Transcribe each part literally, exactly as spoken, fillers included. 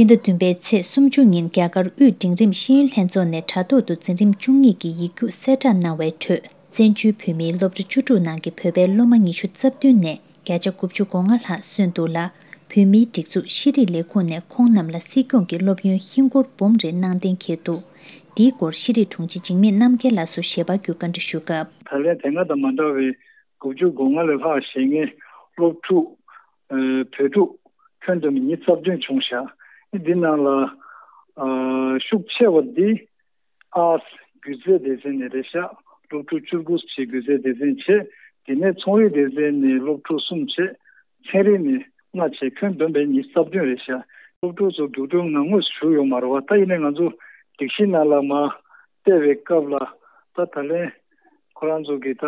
ཕྱི་ཟླ་བདུན་པའི་ཚེས་སུམ་ཅུ་ཉིན་རྒྱ་གར་དབུས་འབྲིང་རིམ་ཤེས་ཡོན་ལྷན་ཚོགས་ནས་དྲ་ཐོག་ཏུ་འཛིན་རིམ་བཅུ་གཉིས་ཀྱི་ཡིག་རྒྱུགས་གསལ་བསྒྲགས་གནང་བའི་ཁྲོད། བཙན་བྱོལ་བོད་མིའི་སློབ་གྲྭ་བཅུ་དྲུག་ནང་གི་བོད་པའི་སློབ་མ་ཉི་ཤུ་རྩ་བདུན་ནས་བརྒྱ་ཆ་དགུ་བཅུ་གོ་ལྔ་ལྷག་སོན་འདུག་ལ། བོད་མིའི་སྒྲིག་འཛུགས་ཤེས་རིག་ལས་ཁུངས་ནས་ཁོང་རྣམས་ལ་སྲིད་སྐྱོང་གི་སློབ་ཡོན་ཧིན་སྒོར་འབུམ་རེ་གནང་གཏན་འཁེལ་འདུག། འདིའི་སྐོར་ཤེས་རིག་དྲུང་ཆེ་འཇིགས་མེད་རྣམ་རྒྱལ་ལགས་སུ་ཞལ་པར་བརྒྱུད་བཀའ་འདྲི་ཞུས་སྐབས། ད་ལན་དེ་སྔ་དང་མ་འདྲ་བའི་དགུ་བཅུ་གོ་ལྔ་ལས་ལྷག་བཞེས་མཁན་སློབ་ཕྲུག་ཨ་བོད་ཕྲུག་ཁྱོན་བསྡོམས་ཉི་ཤུ་རྩ་བདུན་བྱུང་ཤག། འདི་ནང་ལ་ཨ་ཤུགས་ཆེ་བ་འདི་ཨར་སྒྱུ་རྩལ་སྡེ་ཚན་ནས་རེད་ཤག། སློབ་ཕྲུག་བཅུ་དགུ་ཅིག་སྒྱུ་རྩལ་སྡེ་ཚན་བྱས། དེ་ནས་ཚོང་རིག་སྡེ་ཚན་ནས་སློབ་ཕྲུག་གསུམ་བྱས། ཚན་རིག་ནས་ལྔ་བྱས། ཁྱོན་བསྡོམས་པས་ཉི་ཤུ་རྩ་བདུན་རེད་ཤག། སློབ་ཕྲུག་ཚོ་རྒྱུགས་སྤྲོད་ནང་ངོས་སུ་ཞུགས་ཡོད་མ་རེད་བ། ད་ཡིན་ནའི་ང་ཚོ་སྒྲིག་གཞི་ནང་ལ་མར་བལྟས་པའི་སྐབས་ལ། ད་ད་ལན་ཁོ་རང་ཚོ་གི་ད་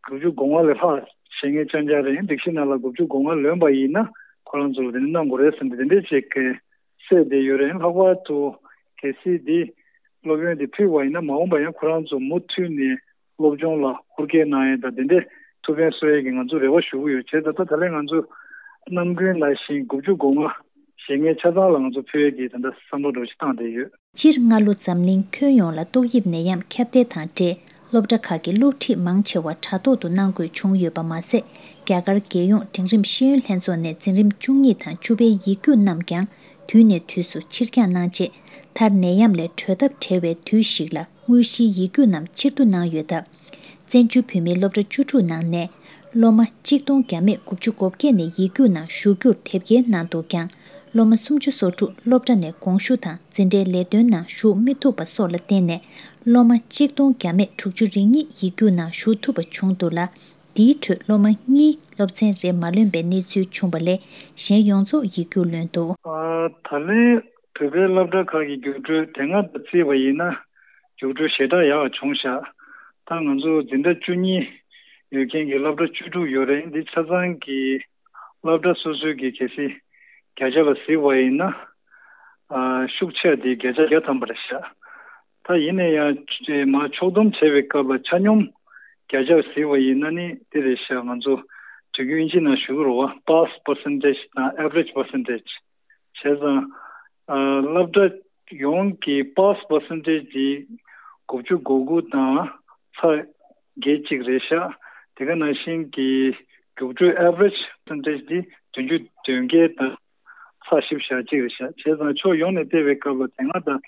དགུ་བཅུ་གོ་ལྔ་ལས་ལྷག་བྱེད་མཁན་རྐྱང་རྐྱང་རེད། སྒྲིག་གཞི་ནང་ལ་དགུ་བཅུ་གོ་ལྔ་ལོན་པ་ཡིན་ན་ཁོ་རང་ཚོ་ལ་དེ་ནས་གནང་དགོས་རེད་ཟེར་ནས་དེ་འདྲས་ཅིག་གི་གསལ་བསྡད་ཡོད་རེད། ལྷག་པར་དུ་གལ་སྲིད་འདི་སློབ་ཡོན་འདི་ཕུལ་བ་ཡིན་ན། མ་འོངས་པ་ཡང་ཁོ་རང་ཚོ་མུ་མཐུད་ནས་སློབ་སྦྱོང་ལ་ཧུར་བསྐྱེད་གནང་ཡས་དང་དེ་འདྲའི་ཐུགས་ཕན་གསོ་ཡས་ཀྱི་ང་ཚོ་རེ་བ་ཞུ་གི་ཡོད། བྱས་ཙང་ད་ད་ལན་ང་ཚོ་ནམ་རྒྱུན་ནང་བཞིན་དགུ་བཅུ་གོ་ལྔ་བྱེད་མཁན་ཆ་ཚང་ལ་ང་ཚོ་ཕུལ་ཡས་ཀྱི་ད་ལྟ་བསམ་བློ་འདྲ་བོ་ཞིག་བཏང་བསྡད་ཡོད། སྤྱིར་སྔ་ལོ་འཛམ་གླིང་ཁྱོན་ཡོངས་ལ་ཏོག་དབྱིབས་ནད་ཡམས་ཁྱབ་གདལ་དང་འབྲེལ། སློབ་གྲྭ་ཁག་གི་སློབ་ཁྲིད་མང་ཆེ་བ་དྲ་ཐོག་ཏུ་གནང་དགོས་བྱུང་ཡོད་པ་མ་ཟད། རྒྱ་གར་རྒྱལ་ཡོངས་འབྲིང་རིམ་ཤེས་ཡོན་ལྷན་ཚོགས་ནས་འཛིན་རིམ་བཅུ་གཉིས་དང་བཅུ་པའི་ཡིག་རྒྱུགས་རྣམས་ཀྱང་དུས་ནས་དུས་སུ་ཕྱིར་འགྱངས་གནང་རྗེས། མཐར་ནད་ཡམས་ལས་གྲོལ་ཐབས་བྲལ་བའི་དུས་ཤིག་ལ་དངོས་གཞིའི་ཡིག་རྒྱུགས་རྣམས་ཕྱིར་བསྡུ་གནང་ཡོད་སྟབས། བཙན་བྱོལ་བོད་མིའི་སློབ་གྲྭ་བཅུ་དྲུག་ནང་ནས་སློབ་མ་གཅིག་སྟོང་བརྒྱ་མེད་དགུ་བཅུ་གོ་བརྒྱད་ནས་ཡིག་རྒྱུགས་ནང་ཞུགས་རྒྱུར་དེབ་སྐྱེལ་གནང་འདུག་ཀྱང་། སློབ་མ་སུམ་ཅུ་སོ་དྲུག་སློབ་གྲྭ་ནས་དགོངས་ཞུ་དང་འཛིན་གྲྭའི་ལས་དོན་ནང་ཞུགས་མི་ཐུབ་པ་སོགས་ལ་བརྟེན་ནས། སློབ་མ་གཅིག་སྟོང་བརྒྱ་མེད་དྲུག་ཅུ་རེ་གཉིས་ཡིག་རྒྱུགས་ནང་ཞུགས་ཐུབ་པ་བྱུང་འདུག་ལ། འདིའི་ཁྲོད་སློབ་མ་གཉིས་སློབ་ཚན་རེ་མ་ལོན་པའི་གནས་ཚུལ་བྱུང་བ་ལས། གཞན་ཡོངས་རྫོགས་ཡིག་རྒྱུགས་ལོན་འདུག། ཨ། ད་ལན་བོད་པའི་སློབ་གྲྭ་ཁག་གི་རྒྱུགས་སྤྲོད་དེ་སྔ་དང་བརྩིས་པ་ཡིན་ན་རྒྱུགས་སྤྲོད་ཞེ་དྲག་ཡག་པ་བྱུང་ཤག། ད་ང་ཚོ་འཛིན་གྲྭ་བཅུ་གཉིས་ཡོད་མཁན་གྱི་སློབ་གྲྭ་བཅུ་དྲུག་ཡོད་རེད། འདི་ཆ་ཚང་གི་སློབ་གྲྭ་སོ་སོའི་གི་གལ་སྲིད་བརྒྱ་ཆ་ལ་གཟིགས་པ་ཡིན་ན། ཨ། ཤུགས་ཆེ་བ་དེ་བརྒྱ་ཆ་བརྒྱ་ཐམ་པ་རེད་ཤག། ད་ཡིན་ན་ཡང་ཅེ་མར་ཕྱོགས་བསྡོམས་བྱས་པའི་སྐབས་ལ་ཆ་སྙོམས་བརྒྱ་ཆ་གཟིགས་པ་ཡིན་ན་ནི་དེ་རེད་ཤག། ང་ཚོ་དུས་རྒྱུན་ཨིན་ཇི་ནང་ཞུ་གི་རེད་བ། པཱ་སི་པར་སེན་ཊེཇ་དང་ཨེ་ཝ་རེཇ་པར་སེན་ཊེཇ། བྱས་ཙང་། ཨ། སློབ་གྲྭ་ཡོངས་ཀྱི་པཱ་སི་པར་སེན་ཊེཇ་དེ་དགུ་བཅུ་གོ་དགུ་དང་ཚེག་བརྒྱད་ཅིག་རེད་ཤག། དེ་ག་ནང་བཞིན་གྱི་རྒྱུགས་སྤྲོད་ཨེ་ཝ་རེཇ་པར་སེན་ཊེཇ་དེ་བདུན་ཅུ་དོན་བརྒྱད་དང་ཚེག་བཞི་བཅུ་ཞེ་གཅིག་རེད་ཤག། བྱས་ཙང་ཕྱོགས་ཡོངས་ནས་བལྟས་པའི་སྐབས་ལ་དེ་སྔ་དང་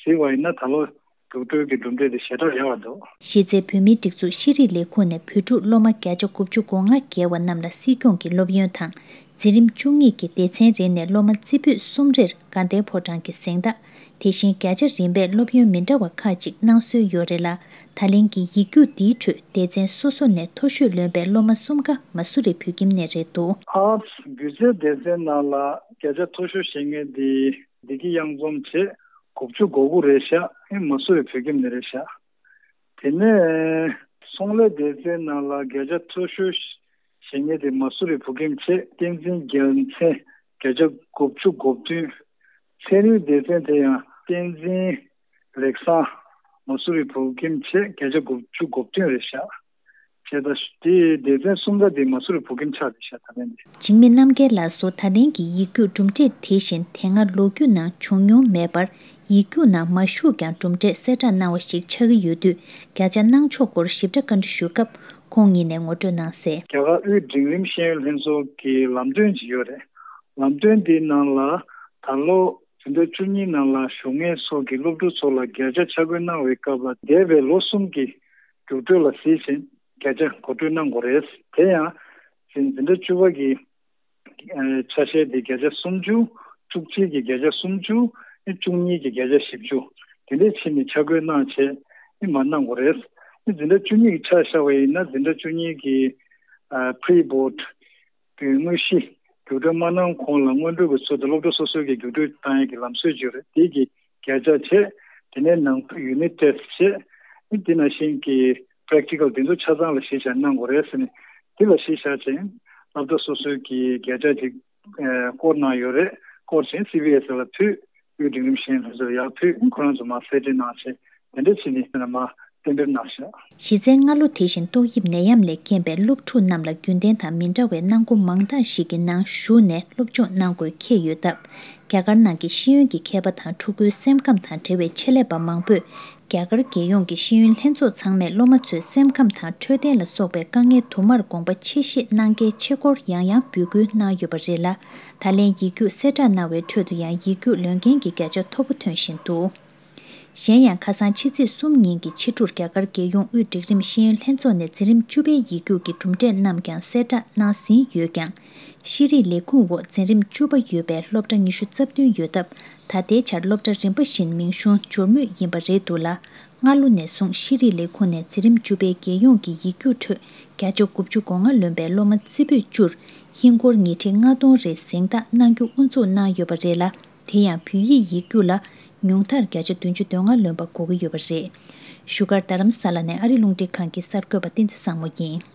གཟིགས་པ་ཡིན་ན་ད་ལོ་རྒྱུགས་སྤྲོད་ཀྱི་གྲུབ་འབྲས་དེ་ཞེ་དྲག་ཡག་པ་འདུག། གཞི་རྩའི་བོད་མིའི་སྒྲིག་འཛུགས་ཤེས་རིག་ལས་ཁུངས་ནས་བོད་ཕྲུག་སློབ་མ་བརྒྱ་ཆ་དགུ་བཅུ་གོ་ལྔ་བརྒལ་བ་རྣམས་ལ་སྲིད་སྐྱོང་གི་སློབ་ཡོན་དང་། འཛིན་རིམ་བཅུ་གཉིས་ཀྱི་སྡེ་ཚན་རེ་ནས་སློབ་མ་རྩེ་ཕུད་གསུམ་རེར་དགའ་ལྡན་ཕོ་བྲང་གི་གཟེངས་རྟགས། དེ་བཞིན་བརྒྱ་ཆ་རིམ་པས་སློབ་ཡོན་མི་འདྲ་བ་ཁག་ཅིག་གནང་སྲོལ་ཡོད་རེད་ལ། ད་ལན་གྱི་ཡིག་རྒྱུགས་འདིའི་ཁྲོད་སྡེ་ཚན་སོ་སོ་ནས་མཐོ་ཤོས་ལོན་པའི་སློབ་མ་གསུམ་ཀ་མ་སུ་རི་བོད་ཁྱིམ་ནས་རེད་འདུག། ཨར་སི་སྒྱུ་རྩལ་སྡེ་ཚན་ནང་ལ་བརྒྱ་ཆ་མཐོ་ཤོས་བཞེས་མཁན་དེ་བདེ་སྐྱིད་གཡང་འཛོམས་བྱས། དགུ་བཅུ་གོ་དགུ་རེད་ཤག། ཨེ། མ་སུ་རི་བོད་ཁྱིམ་ནས་རེད་ཤག། དེ་ནས་ཚོང་ལས་སྡེ་ཚན་ནང་ལ་བརྒྱ་ཆ་མཐོ་ཤོས་བཞེས་མཁན་དེ་མ་སུ་རི་བོད་ཁྱིམ་བྱས། བསྟན་འཛིན་རྒྱལ་མཚན་བརྒྱ་ཆ་དགུ་བཅུ་གོ་བདུན། ཚན་རིག་སྡེ་ཚན་དེ་ཡང་བསྟན་འཛིན་ལེགས་བཟང་མ་སུ་རི་བོད་ཁྱིམ་བྱས། བརྒྱ་ཆ་དགུ་བཅུ་གོ་བདུན་རེད་ཤག། བྱས་ཙང་དེའི་སྡེ་ཚན་གསུམ་ཀ་དེ་མ་སུ་རི་བོད་ཁྱིམ་ཆགས་བསྡད་ཤག། ད་ལན་དེ། འཇིགས་མེད་རྣམ་རྒྱལ་ལགས་སུ་ད་ལན་གྱི་ཡིག་རྒྱུགས་གྲུབ་འབྲས་དེ་བཞིན་དེ་སྔ་ལོ་རྒྱུས་ནང་བྱུང་མྱོང་མེད་པར། ཡིག་རྒྱུགས་ནང་མ་ཞུགས་ཀྱང་གྲུབ་འབྲས་གསལ་བསྒྲགས་གནང་བ་ཞིག་ཆགས་ཀྱི་ཡོད་དུས། བརྒྱ་ཆ་གནང་ཕྱོགས་སྐོར་ཞིབ་ཕྲ་བཀའ་འདྲི་ཞུས་སྐབས། ཁོང་ཉིད་ནས་ངོ་སྤྲོད་གནང་གསལ། རྒྱ་གར་དབུས་འབྲིང་རིམ་ཤེས་ཡོན་ལྷན་ཚོགས་ཀྱི་ལམ་སྟོན་ཅིག་ཡོད་རེད། ལམ་སྟོན་འདིའི་ནང་ལ་ད་ལོ་འཛིན་གྲྭ་བཅུ་གཉིས་ནང་ལ་ཞུགས་མཁན་སོགས་ཀྱི་སློབ་ཕྲུག་ཚོ་ལ་བརྒྱ་ཆ་ཆ་བགོས་གནང་བའི་སྐབས་ལ། འདས་པའི་ལོ་གསུམ་གྱི་རྒྱུགས་སྤྲོད་ལ་གཟིགས་ཤིང་བརྒྱ་ཆ་མགོ་སྤྲོད་གནང་དགོས་རེད། དེ་ཡང་འཛིན་འཛིན་གྲྭ་བཅུ་པ་གི་ཨ་ཆ་ཤས་དེ་བརྒྱ་ཆ་སུམ་ཅུ། བཅུ་གཅིག་གི་བརྒྱ་ཆ་སུམ་ཅུ། ཨེ། བཅུ་གཉིས་ཀྱི་བརྒྱ་ཆ་བཞི་བཅུ། དེ་འདྲས་བྱས་ནས་ཆ་བགོས་གནང་བྱས། ཨེ། མར་གནང་དགོས་རེད། ཨེ། འཛིན་གྲྭ་བཅུ་གཉིས་ཀྱི་ཆ་བཞག་པ་ཡིན་ན། འཛིན་གྲྭ་བཅུ་གཉིས་ཀྱི་ཨ་པི་རི་བྷོཌ་གི་དངོས་གཞི་རྒྱུགས་སྤྲོད་མ་གནང་གོང་ལ་སྔོན་འགྲོ་གི་ཚུལ་དུ་སློབ་གྲྭ་སོ་སོའི་གི་རྒྱུགས་སྤྲོད་བཏང་ཡས་ཀྱི་ལམ་སྲོལ་ཅིག་ཡོད་རེད། དེ་གི་བརྒྱ་ཆ་བྱས། དེ་ནས་ནང་ཡུ་ནིཊ་ཊེ་སི་ཊི་བྱས། དེ་ནང་བཞིན་གྱི་པེ་རེག་ཊི་ཀལ་དེ་ཚོ་ཆ་ཚང་ལ་གཞི་བཞག་གནང་དགོས་རེད་ཟེར་ནས། དེ་ལ་གཞི་བཞག་བྱས་སློབ་གྲྭ་སོ་སོའི་གི་བརྒྱ་ཆ་ཅིག་ཨ་སྐོར་གནང་ཡོད་རེད། སྐོར་བྱས་སི་བི་ཨེ་སི་ལ་ཕུལ། དབུས་འབྲིང་རིམ་ཤེས་ཡོན་ལྷན་ཚོགས་ལ་ཡར་ཕུལ། ཁོ་རང་ཚོ་མར་གསལ་འགྲེལ་གནང་བྱས། དེ་འདྲ་བྱས་ནས་མར། གཏན་འབེབས་གནང་བཞག་གཞི་རྩའི་སྔ་ལོ་དེ་བཞིན་ཏོག་དབྱིབས་ནད་ཡམས་ལས་རྐྱེན་པས་སློབ་ཕྲུག་རྣམས་ལ་རྒྱུན་ལྡན་དང་མི་འདྲ་བའི་གནང་སྒོ་མང་དག་ཞིག་གི་ནང་ཞུགས་ནས་སློབ་སྦྱོང་གནང་དགོས་འཁེལ་ཡོད་སྟབས། རྒྱ་གར་ནང་གི་ཤེས་ཡོན་གྱི་མཁས་པ་དང་ཕྲུ་གུའི་སེམས་ཁམས་དང་འབྲེལ་བའི་ཆེད་ལས་པ་མང་པོས། རྒྱ་གར་རྒྱལ་ཡོངས་ཀྱི་ཤེས་ཡོན་ལྷན་ཚོགས་ཚང་མས་སློབ་མ་ཚོའི་སེམས་ཁམས་དང་འཕྲོད་བསྟེན་ལ་སོགས་པའི་དཀའ་ངལ་དུ་མར་དགོངས་པ་ཆེ་བཞེས་གནང་གལ་ཆེ་སྐོར་ཡང་ཡང་འབོད་སྐུལ་གནང་ཡོད་པ་རེད་ལ། ད་ལན་ཡིག་རྒྱུགས་གསལ་བསྒྲགས་གནང་བའི་ཁྲོད་དུ་ཡང་ཡིག་རྒྱུགས་ལོན་མཁན་གྱི་བརྒྱ་ཆ་མཐོ་པོ་ཐོན་བཞིན་འདུག་གཞན་ཡང་ཁ་སང་ཕྱི་ཚེས་གསུམ་ཉིན་གྱི་ཕྱི་དྲོར་རྒྱ་གར་རྒྱལ་ཡོངས་དབུས་སྒྲིག་རིམ་ཤེས་ཡོན་ལྷན་ཚོགས་ནས་འཛིན་རིམ་བཅུ་པའི་ཡིག་རྒྱུགས་ཀྱི་གྲུབ་འབྲས་རྣམས་ཀྱང་གསལ་བསྒྲགས་གནང་ཟིན་ཡོད་ཀྱང་། ཤེས་རིག་ལས་ཁུངས་འོག་འཛིན་རིམ་བཅུ་པ་ཡོད་པའི་སློབ་གྲྭ་ཉི་ཤུ་རྩ་བདུན་ཡོད་སྟབས། ད་ལྟའི་ཆར་སློབ་གྲྭ་རིམ་པ་བཞིན་མིང་གཞུང་འབྱོར་མུས་ཡིན་པ་རེད་འདུག་ལ། སྔ་ལོ་ནས་བཟུང་ཤེས་རིག་ལས་ཁུངས་ནས་འཛིན་རིམ་བཅུ་པའི་རྒྱལ་ཡོངས་ཀྱི་ཡིག་རྒྱུགས་ཁྲོད་བརྒྱ་ཆ་དགུ་བཅུ་གོ་ལྔ་ལོན་པའི་སློབ་མ་རྩེ་ཕུད་བཅུར་ཧིན་སྒོར་ཉིས་ཁྲི་ལྔ་སྟོང་རེ་གཟེངས་རྟགས་གནང་རྒྱུ་དབུ་འཛུགས་གནང་ཡོད་པ་རེད་ལ། དེ་ཡང་བོད་ཡིག་ཡིག་རྒྱུགས་ལ་ཉུང་མཐར་བརྒྱ་ཆ་བདུན་ཅུ་དོན་ལྔ་ལོན་པ་དགོས་ཀྱི་ཡོད་པ་རེད། བཞུགས་སྒར་རྡ་རམ་ས་ལ་ནས་ཨ་རི་རླུང་འཕྲིན་ཁང་གི་གསར་འགོད་པ་བསྟན་འཛིན་བཟང་མོ་ཡིན།